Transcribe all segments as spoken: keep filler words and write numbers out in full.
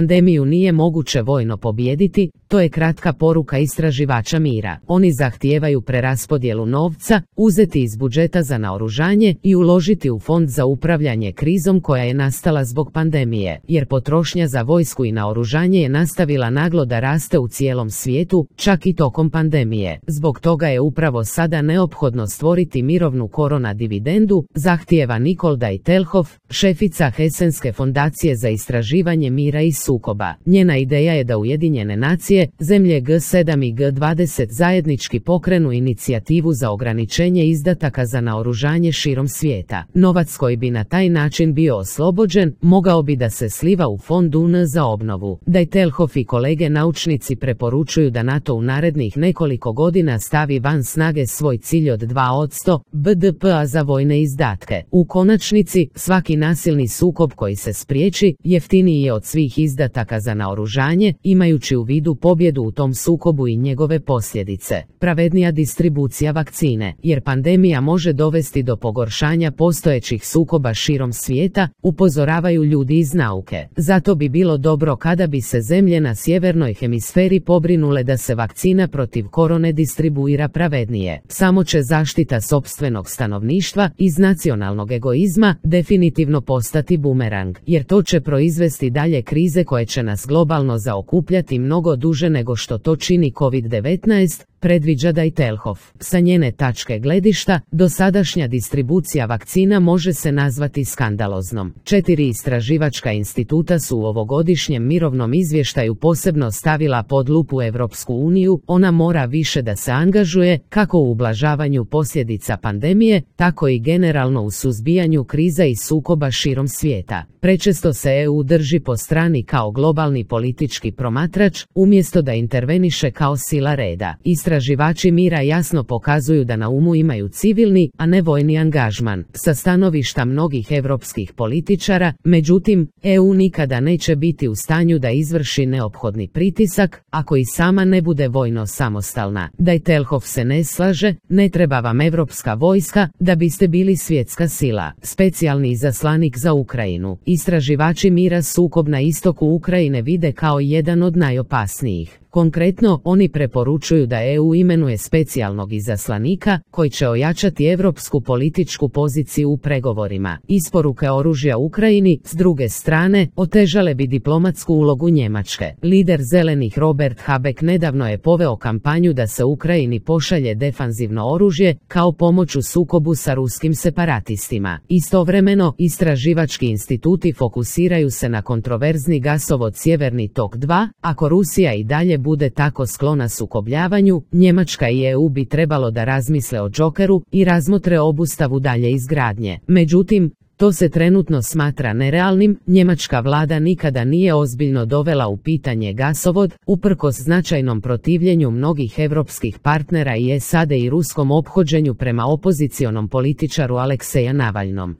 Pandemiju nije moguće vojno pobijediti, to je kratka poruka istraživača mira. Oni zahtijevaju preraspodjelu novca, uzeti iz budžeta za naoružanje i uložiti u fond za upravljanje krizom koja je nastala zbog pandemije, jer potrošnja za vojsku i naoružanje je nastavila naglo da raste u cijelom svijetu, čak i tokom pandemije. Zbog toga je upravo sada neophodno stvoriti mirovnu korona dividendu, zahtijeva Nicole Dijtelhoff, šefica Helsinske fondacije za istraživanje mira i sukoba. Njena ideja je da Ujedinjene nacije, zemlje G sedam i G dvadeset zajednički pokrenu inicijativu za ograničenje izdataka za naoružanje širom svijeta. Novac koji bi na taj način bio oslobođen, mogao bi da se sliva u fond U N za obnovu. Dijtelhoff i kolege naučnici preporučuju da NATO u narednih nekoliko godina stavi van snage svoj cilj od dva posto B D P-a za vojne izdatke. U konačnici, svaki nasilni sukob koji se spriječi, jeftiniji je od svih izdataka za naoružanje, imajući u vidu pobjedu u tom sukobu i njegove posljedice. Pravednija distribucija vakcine, jer pandemija može dovesti do pogoršanja postojećih sukoba širom svijeta, upozoravaju ljudi iz nauke. Zato bi bilo dobro kada bi se zemlje na sjevernoj hemisferi pobrinule da se vakcina protiv korone distribuira pravednije. Samo će zaštita sopstvenog stanovništva iz nacionalnog egoizma definitivno postati bumerang, jer to će proizvesti dalje krize koje će nas globalno zaokupljati mnogo duže nego što to čini kovid devetnaest, predviđa Dijtelhoff. Sa njene tačke gledišta, dosadašnja distribucija vakcina može se nazvati skandaloznom. Četiri istraživačka instituta su u ovogodišnjem mirovnom izvještaju posebno stavila pod lupu Europsku uniju, ona mora više da se angažuje, kako u ublažavanju posljedica pandemije, tako i generalno u suzbijanju kriza i sukoba širom svijeta. Prečesto se E U drži po strani kao globalni politički promatrač, umjesto da interveniše kao sila reda. Istraživači mira jasno pokazuju da na umu imaju civilni, a ne vojni angažman. Sa stanovišta mnogih europskih političara, međutim, E U nikada neće biti u stanju da izvrši neophodni pritisak, ako i sama ne bude vojno samostalna. Dijtelhoff se ne slaže, ne treba vam evropska vojska, da biste bili svjetska sila. Specijalni izaslanik za Ukrajinu. Istraživači mira sukob na istoku Ukrajine vide kao jedan od najopasnijih. Konkretno, oni preporučuju da E U imenuje specijalnog izaslanika, koji će ojačati europsku političku poziciju u pregovorima. Isporuke oružja Ukrajini, s druge strane, otežale bi diplomatsku ulogu Njemačke. Lider zelenih Robert Habeck nedavno je poveo kampanju da se Ukrajini pošalje defanzivno oružje, kao pomoć u sukobu sa ruskim separatistima. Istovremeno, istraživački instituti fokusiraju se na kontroverzni gasovod Sjeverni tok dva, ako Rusija i dalje bude tako sklona sukobljavanju, Njemačka i E U bi trebalo da razmisle o džokeru i razmotre obustavu dalje izgradnje. Međutim, to se trenutno smatra nerealnim, njemačka vlada nikada nije ozbiljno dovela u pitanje gasovod, uprkos značajnom protivljenju mnogih evropskih partnera i S A D i ruskom ophođenju prema opozicionom političaru Alekseja Navalnom.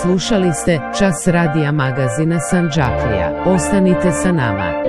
Slušali ste Čas radija magazina Sandžaklija. Ostanite sa nama.